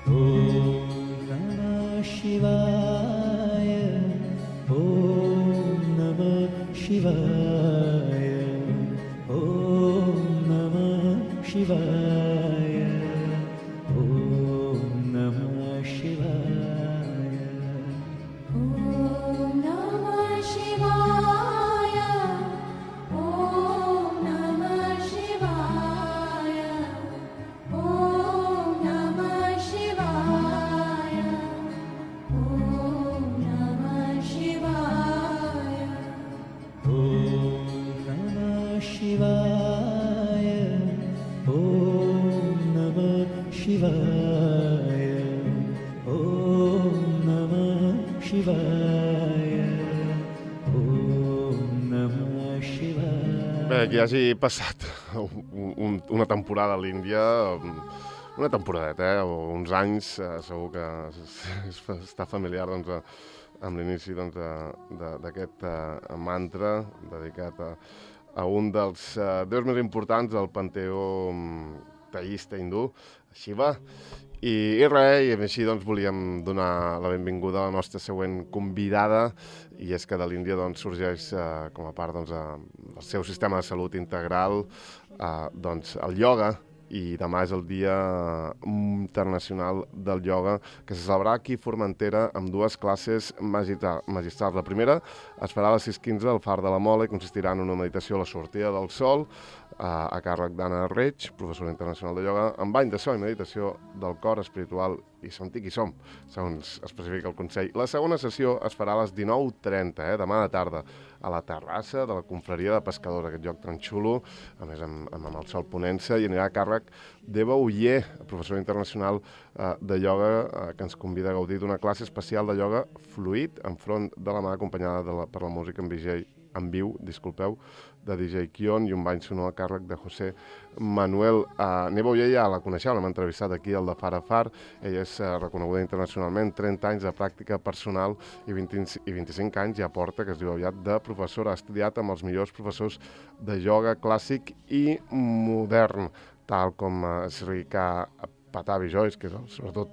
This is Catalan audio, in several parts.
Om Namah Shivaya. Om Namah Shivaya. Om Namah Shivaya. Om Namah Shivaya. Om Namah Shivaya. Om Namah Shivaya. Om Namah Shivaya. Om Namah Shivaya. Om Namah Shivaya. Om Namah Shivaya. Om Namah Shivaya. Om Namah Shivaya. Bé, que hagi passat una temporada a l'Índia, una temporadeta, o uns anys, segur que està familiar doncs, amb l'inici doncs, d'aquest mantra dedicat a un dels déus més importants del panteó teista hindú, Shiva. I res, i així doncs, volíem donar la benvinguda a la nostra següent convidada, i és que de l'Índia doncs, sorgeix com a part doncs, del seu sistema de salut integral doncs, el ioga, i demà és el Dia Internacional del Ioga, que se celebrarà aquí a Formentera amb dues classes magistrals. La primera es farà a les 6:15 al Far de la Mola i consistirà en una meditació a la sortida del sol, a càrrec d'Anna Reig, professora internacional de ioga, amb bany de so i meditació del cor espiritual i sentir qui som, segons especifica el Consell. La segona sessió es farà a les 19:30, demà de tarda, a la terrassa de la Confraria de Pescadors, aquest lloc tan xulo, a més amb el sol ponent-se, i anirà a càrrec d'Eva Uller, professora internacional de ioga, que ens convida a gaudir d'una classe especial de ioga fluid, enfront de la mà, acompanyada per la música en viu, de DJ Kion, i un bany sonor a càrrec de José Manuel. Neva Uller ja la coneixeu, l'hem entrevistat aquí al de Far a Far. Ella és reconeguda internacionalment, 30 anys de pràctica personal i 25 anys ja porta, que es diu aviat, de professora. Ha estudiat amb els millors professors de ioga clàssic i modern, tal com Sri Patabi Joyce, que és sobretot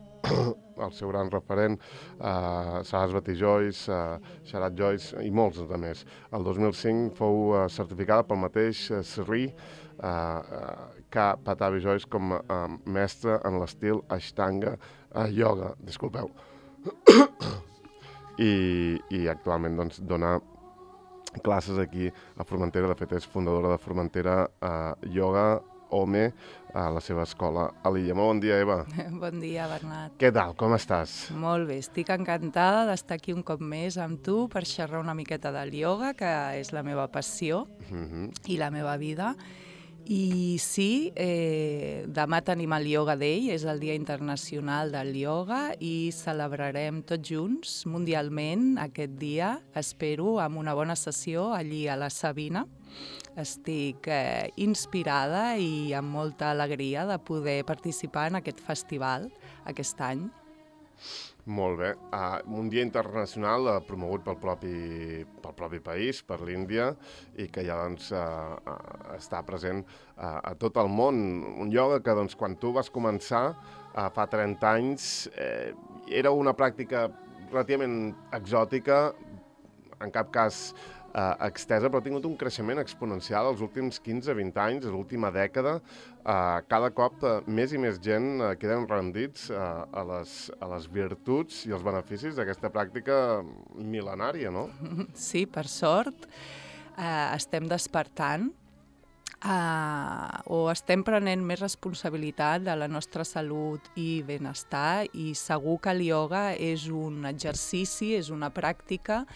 el seu gran referent, Sarasvati Joyce, Sharat Joyce i molts de més. El 2005 fou certificada pel mateix Sri Patabi Joyce com a mestre en l'estil Ashtanga Yoga. Disculpeu. I actualment doncs, dona classes aquí a Formentera. De fet, és fundadora de Formentera Yoga Home, a la seva escola a l'illa. Molt bon dia, Eva. Bon dia, Bernat. Què tal? Com estàs? Molt bé, estic encantada d'estar aquí un cop més amb tu per xerrar una miqueta del ioga, que és la meva passió i la meva vida. I sí, demà tenim el Yoga Day, és el Dia Internacional del Ioga, i celebrarem tots junts, mundialment, aquest dia, espero, amb una bona sessió allí a la Sabina. Estic inspirada i amb molta alegria de poder participar en aquest festival aquest any. Molt bé. Un dia internacional promogut pel propi país, per l'Índia, i que ja doncs, està present a tot el món. Un ioga que doncs, quan tu vas començar fa 30 anys era una pràctica relativament exòtica, en cap cas extesa, però ha tingut un creixement exponencial els últims 15-20 anys, l'última dècada. Cada cop més i més gent queden rendits a les virtuts i els beneficis d'aquesta pràctica mil·lenària, no? Sí, per sort, estem despertant o estem prenent més responsabilitat de la nostra salut i benestar, i segur que el ioga és un exercici, és una pràctica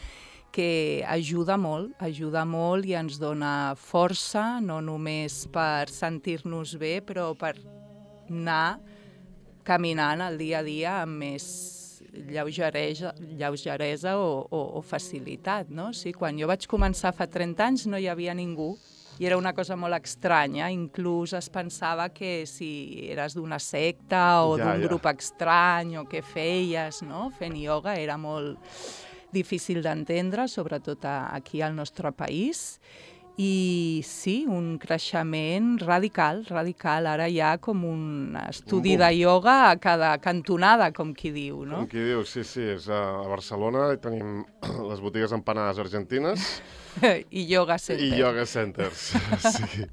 que ajuda molt i ens dona força, no només per sentir-nos bé, però per anar caminant el dia a dia amb més lleugeresa o facilitat, no? Sí, quan jo vaig començar fa 30 anys no hi havia ningú i era una cosa molt estranya, inclús es pensava que si eres d'una secta o d'un grup estrany o què feies, no? Fent ioga era molt difícil d'entendre, sobretot aquí al nostre país. I sí, un creixement radical. Ara hi ha com un estudi de ioga a cada cantonada, com qui diu, no? Com qui diu, sí, és a Barcelona i tenim les botigues empanades argentines I yoga i center. yoga centers. Sí.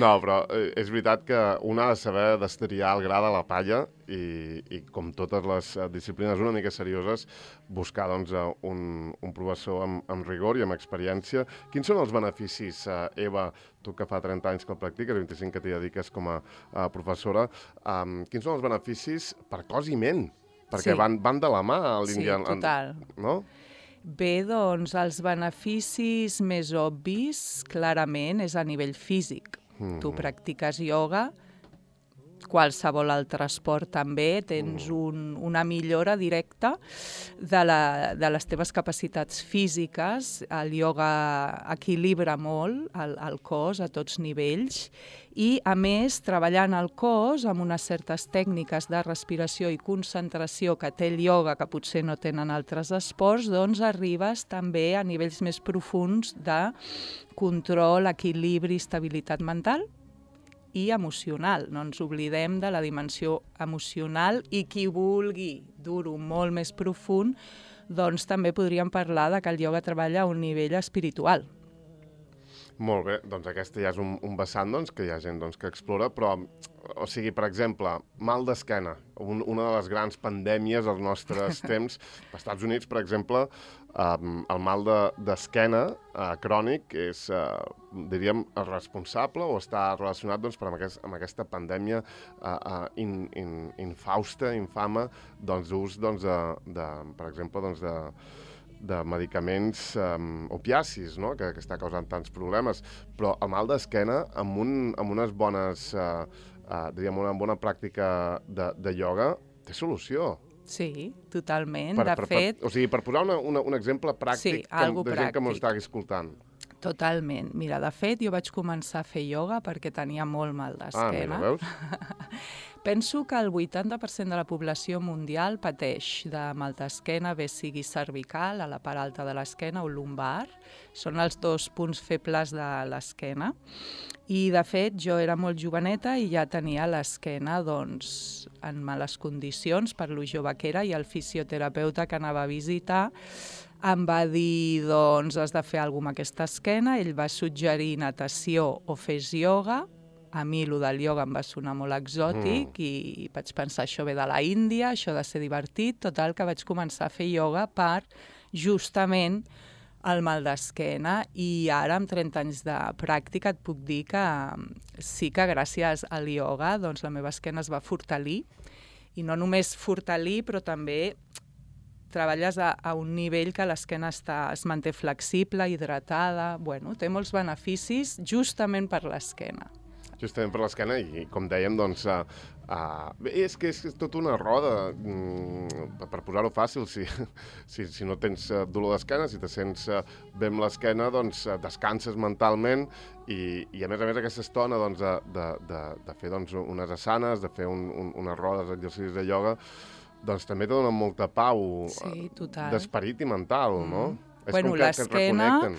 No, però és veritat que un ha de saber destriar el gra de la palla i com totes les disciplines una mica serioses, buscar doncs, un professor amb rigor i amb experiència. Quins són els beneficis, Eva, tu que fa 30 anys que el practiques, 25 que t'hi dediques com a professora, quins són els beneficis per cos i ment? Perquè Sí. van de la mà a Sí, l'Índia. total. No? Bé, doncs, els beneficis més obvis, clarament, és a nivell físic. Tu practiques ioga, qualsevol altre esport també, tens una millora directa de les teves capacitats físiques. El ioga equilibra molt el cos a tots nivells i, a més, treballant el cos amb unes certes tècniques de respiració i concentració que té el ioga, que potser no tenen altres esports, doncs arribes també a nivells més profuns de control, equilibri, estabilitat mental i emocional. No ens oblidem de la dimensió emocional i qui vulgui dur-ho molt més profund, doncs també podríem parlar de que el ioga treballa a un nivell espiritual. Molt bé, doncs aquesta ja és un vessant doncs, que hi ha gent doncs, que explora, però, o sigui, per exemple, mal d'esquena, una de les grans pandèmies dels nostres temps. Als Estats Units, per exemple, el mal d'esquena crònic és, diríem, responsable o està relacionat doncs, amb aquesta pandèmia infausta, infama, d'ús, per exemple, de medicaments opiacis, no? que està causant tants problemes. Però el mal d'esquena, amb unes bones, diríem, una bona pràctica de ioga, té solució. Sí, totalment. De fet... O sigui, per posar un exemple pràctic Sí, algo de gent que m'ho pràctic. està escoltant. Totalment. Mira, de fet, jo vaig començar a fer ioga perquè tenia molt mal d'esquena. Mira, veus? Penso que el 80% de la població mundial pateix de mal d'esquena, bé sigui cervical, a la part alta de l'esquena, o lumbar. Són els dos punts febles de l'esquena. I, de fet, jo era molt joveneta i ja tenia l'esquena doncs, en males condicions per lo jove que era, i el fisioterapeuta que anava a visitar em va dir, doncs, has de fer alguna cosa amb aquesta esquena. Ell va suggerir natació o fes ioga. A mi, el del ioga em va sonar molt exòtic i vaig pensar, això ve de la Índia, això ha de ser divertit. Total, que vaig començar a fer ioga per, justament, el mal d'esquena. I ara, amb 30 anys de pràctica, et puc dir que sí que gràcies al ioga doncs, la meva esquena es va fortalir. I no només fortalir, però també treballes a un nivell que l'esquena es manté flexible, hidratada. Bueno, té molts beneficis justament per l'esquena. Justament per l'esquena i, com dèiem, doncs, és que és tota una roda, per posar-ho fàcil, si no tens dolor d'esquena, si te sents bé amb l'esquena, doncs descanses mentalment i a més aquesta estona doncs, de fer doncs, unes asanes, de fer unes rodes d'exercicis de ioga, doncs també te dona molta pau d'esperit i mental, no? És bueno, com que et reconnecten.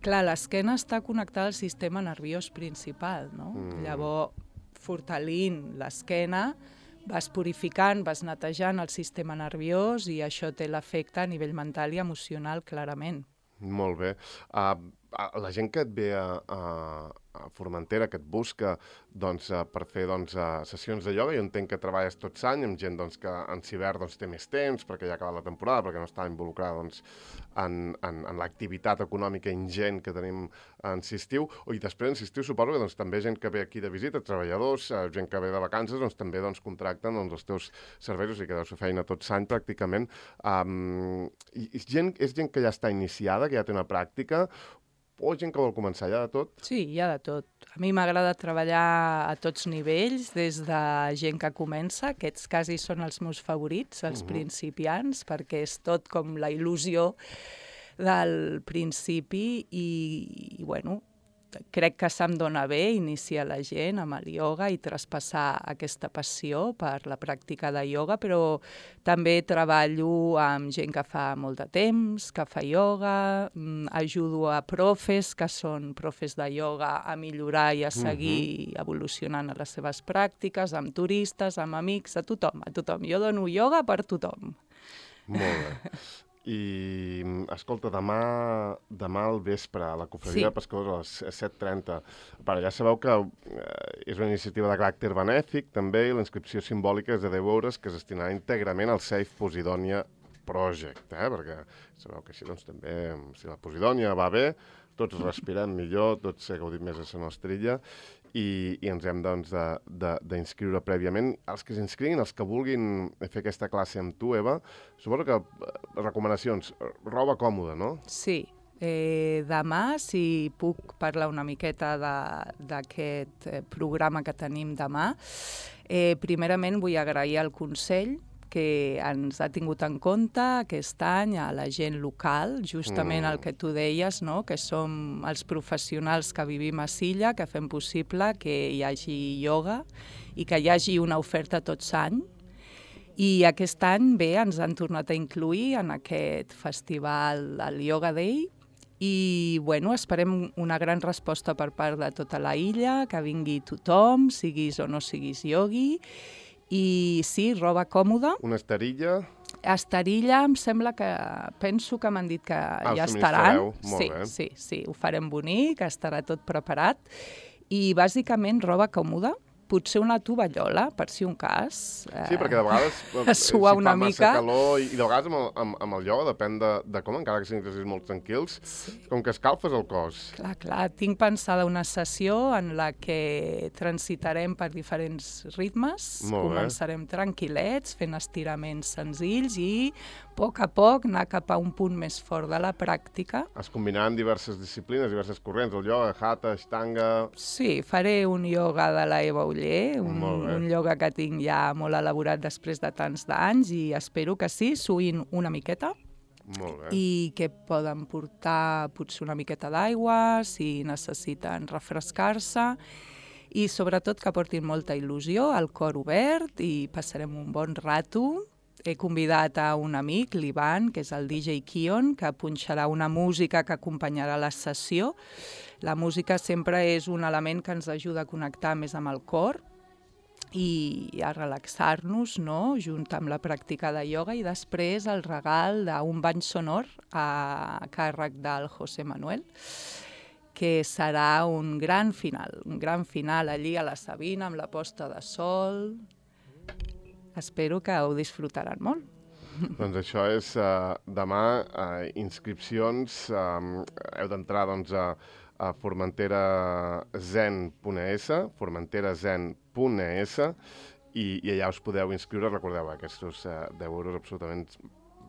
Clar, l'esquena està connectada al sistema nerviós principal, no? Llavors, fortalint l'esquena, vas purificant, vas netejant el sistema nerviós i això té l'efecte a nivell mental i emocional, clarament. Molt bé. La gent que et ve a Formentera, que et busca doncs, per fer doncs, sessions de ioga, jo entenc que treballes tots l'any amb gent doncs, que en hivern doncs, té més temps perquè ja ha acabat la temporada, perquè no està involucrada doncs, en l'activitat econòmica ingent que tenim en estiu. I després en estiu suposo que doncs, també gent que ve aquí de visita, treballadors, gent que ve de vacances, doncs, també doncs, contracten doncs, els teus serveis, o sigui que deus fer feina tot l'any pràcticament. És gent que ja està iniciada, que ja té una pràctica, o gent que vol començar, hi ha de tot? Sí, hi ha de tot. A mi m'agrada treballar a tots nivells, des de gent que comença, aquests quasi són els meus favorits, els principiants, perquè és tot com la il·lusió del principi i bueno, crec que se'm dona bé iniciar la gent amb el ioga i traspassar aquesta passió per la pràctica de ioga, però també treballo amb gent que fa molt de temps, que fa ioga, ajudo a profes, que són profes de ioga, a millorar i a seguir evolucionant a les seves pràctiques, amb turistes, amb amics, a tothom, a tothom. Jo dono ioga per tothom. Molt bé. I, escolta, demà al vespre, a la Cofradia de Pescadors a les 7:30. Ja sabeu que és una iniciativa de caràcter benèfic, també, i la inscripció simbòlica és de 10 euros, que es destinarà íntegrament al Save Posidonia Project, perquè sabeu que així, doncs, també, si la Posidònia va bé, tots respirem millor, tots gaudim més a la nostra illa, i ens hem, doncs, d'inscriure prèviament. Els que s'inscriguin, els que vulguin fer aquesta classe amb tu, Eva, suposo que recomanacions, roba còmoda, no? Sí. Demà, si puc parlar una miqueta d'aquest programa que tenim demà, primerament vull agrair al Consell que ens ha tingut en compte aquest any a la gent local, justament el que tu deies, no? Que som els professionals que vivim a Silla, que fem possible que hi hagi ioga i que hi hagi una oferta tot l'any. I aquest any, bé, ens han tornat a incluir en aquest festival, el Yoga Day, i bueno, esperem una gran resposta per part de tota la illa, que vingui tothom, siguis o no siguis iogui. I sí, roba còmoda. Una esterilla. Esterilla, em sembla que... Penso que m'han dit que ja estaran. Sí, ho farem bonic, estarà tot preparat. I bàsicament roba còmoda, potser una tovallola, per si un cas. Sí, perquè de vegades suar una mica. Fa massa calor i de vegades amb el ioga depèn de com, encara que siguin exercicis molt tranquils, com que escalfes el cos. Clar, tinc pensada una sessió en la que transitarem per diferents ritmes, començarem tranquil·lets, fent estiraments senzills i a poc anar cap a un punt més fort de la pràctica. Es combinaran diverses disciplines, diverses corrents, el ioga, hatha, ashtanga... Sí, faré un ioga de la Eva Oller, un ioga que tinc ja molt elaborat després de tants d'anys i espero que sí, suïn una miqueta. Molt bé. I que poden portar potser una miqueta d'aigua si necessiten refrescar-se i sobretot que portin molta il·lusió, el cor obert i passarem un bon rato. He convidat a un amic, l'Ivan, que és el DJ Kion, que punxarà una música que acompanyarà la sessió. La música sempre és un element que ens ajuda a connectar més amb el cor i a relaxar-nos, no?, junt amb la pràctica de ioga, i després el regal d'un bany sonor a càrrec del José Manuel, que serà un gran final allí a la Sabina amb la posta de sol. Espero que ho disfrutaran molt. Doncs això és demà, inscripcions, heu d'entrar doncs, a formenterazen.es, formenterazen.es, i allà us podeu inscriure. Recordeu, aquests 10 euros absolutament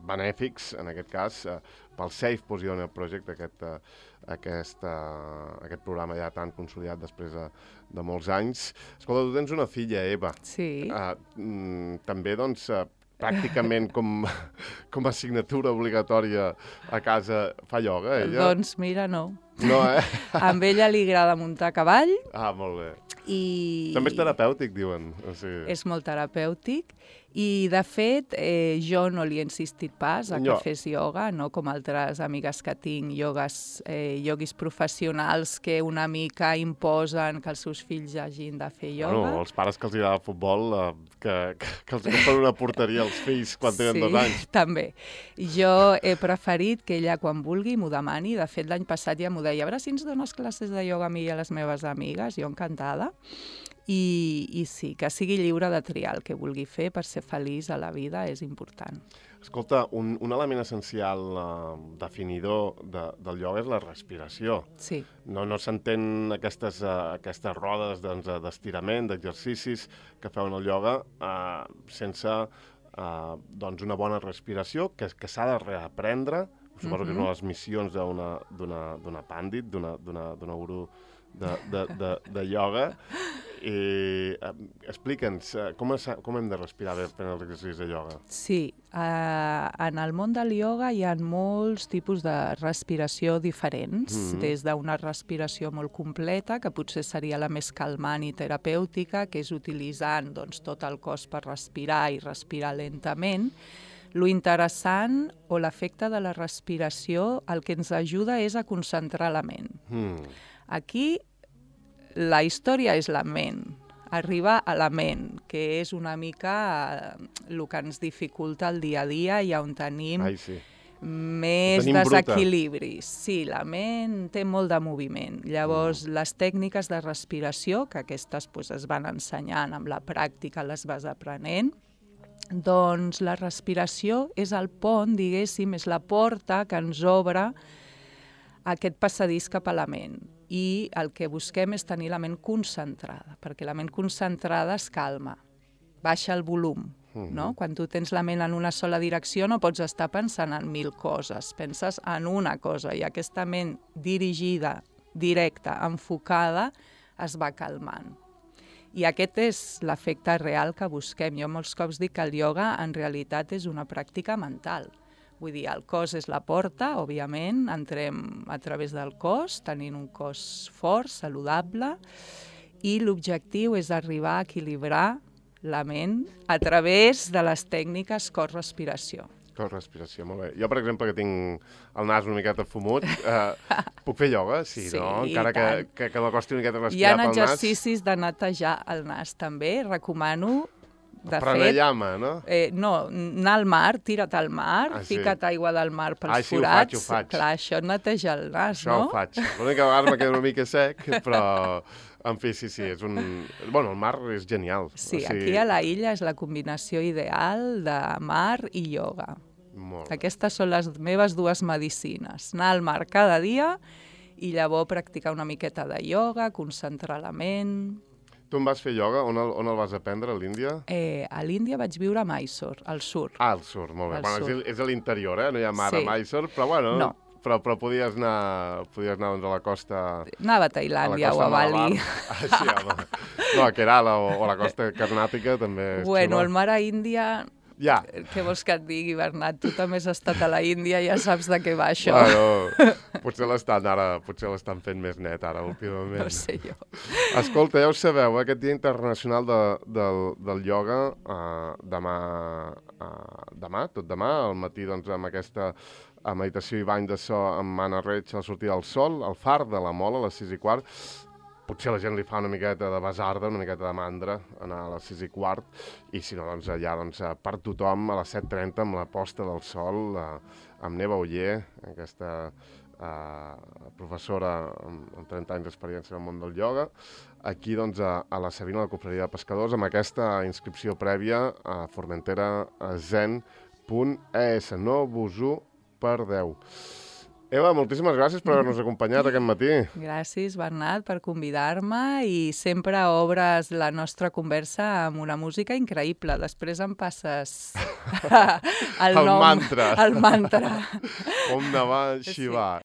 benèfics, en aquest cas, pel Save Posidonia Project, aquest programa ja tan consolidat després de molts anys. Escolta, tu tens una filla, Eva. Sí. També, doncs, pràcticament com a assignatura obligatòria a casa fa ioga, ella? Doncs mira, no. No, Amb ella li agrada muntar a cavall. Ah, molt bé. També és terapèutic, diuen. És molt terapèutic. I, de fet, jo no li he insistit pas a que fes ioga, no com altres amigues que tinc, ioguis professionals que una mica imposen que els seus fills hagin de fer ioga. Bueno, els pares que els agrada el futbol, que els compren una porteria als fills quan tenen 2 anys. Sí, també. Jo he preferit que ella, quan vulgui, m'ho demani. De fet, l'any passat ja m'ho deia, a veure si ens dones classes de ioga a mi i a les meves amigues, jo encantada. I sí, que sigui lliure de triar el que vulgui fer per ser feliç a la vida és important. Escolta, un element essencial definidor del ioga és la respiració. Sí. No s'entén aquestes rodes d'estirament, d'exercicis que feu en el ioga sense una bona respiració que s'ha de reaprendre. Suposo que és una de les missions d'una pàndit, d'una gurú de ioga, Explica'ns, com hem de respirar bé fent els exercicis de ioga? Sí, en el món del ioga hi ha molts tipus de respiració diferents, des d'una respiració molt completa, que potser seria la més calmant i terapèutica, que és utilitzant doncs, tot el cos per respirar i respirar lentament. Lo interessant o l'efecte de la respiració el que ens ajuda és a concentrar la ment. Aquí la història és la ment, arribar a la ment, que és una mica el que ens dificulta el dia a dia i on tenim més desequilibris. Sí, la ment té molt de moviment. Llavors, les tècniques de respiració, que aquestes es van ensenyant amb la pràctica, les vas aprenent, doncs la respiració és el pont, diguéssim, és la porta que ens obre aquest passadís cap a la ment. I el que busquem és tenir la ment concentrada, perquè la ment concentrada es calma, baixa el volum. No? Quan tu tens la ment en una sola direcció no pots estar pensant en 1000 coses, penses en una cosa i aquesta ment dirigida, directa, enfocada, es va calmant. I aquest és l'efecte real que busquem. Jo molts cops dic que el ioga en realitat és una pràctica mental. Vull dir, el cos és la porta, òbviament, entrem a través del cos, tenint un cos fort, saludable, i l'objectiu és arribar a equilibrar la ment a través de les tècniques cos-respiració. Cos-respiració, molt bé. Jo, per exemple, que tinc el nas una miqueta fumut, puc fer ioga? Sí, no? Encara que m'acosti una miqueta a respirar pel nas. Hi ha exercicis de netejar el nas, també. Recomano, de fet... Pranayama, no? No, anar al mar, tira't al mar, fica't aigua del mar pels forats. Ho faig. Clar, això neteja el nas, no? Això ho faig. L'única vegada me queda una mica sec, però... En fi, sí, és un... Bueno, el mar és genial. Sí, aquí a la illa és la combinació ideal de mar i ioga. Aquestes són les meves dues medicines. Anar al mar cada dia i llavors practicar una miqueta de ioga, concentrar la ment... Tu en vas fer ioga? On el vas aprendre, a l'Índia? A l'Índia vaig viure a Mysore, al sur. Ah, al sur, molt bé. Bueno, és a l'interior, no hi ha mar a Mysore, però bueno... No. Però podies anar doncs, a la costa... Anava a Tailàndia o a Bali. Sí, home. No, a Kerala o a la costa carnàtica també és bueno, xulo. El mar a Índia... Ja. Què vols que et digui, Bernat? Tu també has estat a la Índia i ja saps de què va això. Bueno, potser l'estan fent més net ara, últimament. No sé jo. Escolta, ja ho sabeu, aquest Dia Internacional del Ioga, demà, tot demà, al matí, doncs, amb aquesta meditació i bany de so amb Anna Reig a la sortida del sol, al far de la Mola, a les 6:15. Potser la gent li fa una miqueta de basarda, una miqueta de mandra, anar a les 6:15, i si no, doncs allà per tothom a les 7:30 amb la posta del sol, amb Neva Oller, aquesta professora amb 30 anys d'experiència en el món del ioga, aquí doncs a la Sabina, la Confraria de Pescadors, amb aquesta inscripció prèvia a formenterazen.es. No vos ho perdeu. Eva, moltíssimes gràcies per haver-nos acompanyat aquest matí. Gràcies, Bernat, per convidar-me i sempre obres la nostra conversa amb una música increïble. Després em passes el nom. Mantra. El mantra. Om Namah Shivaya.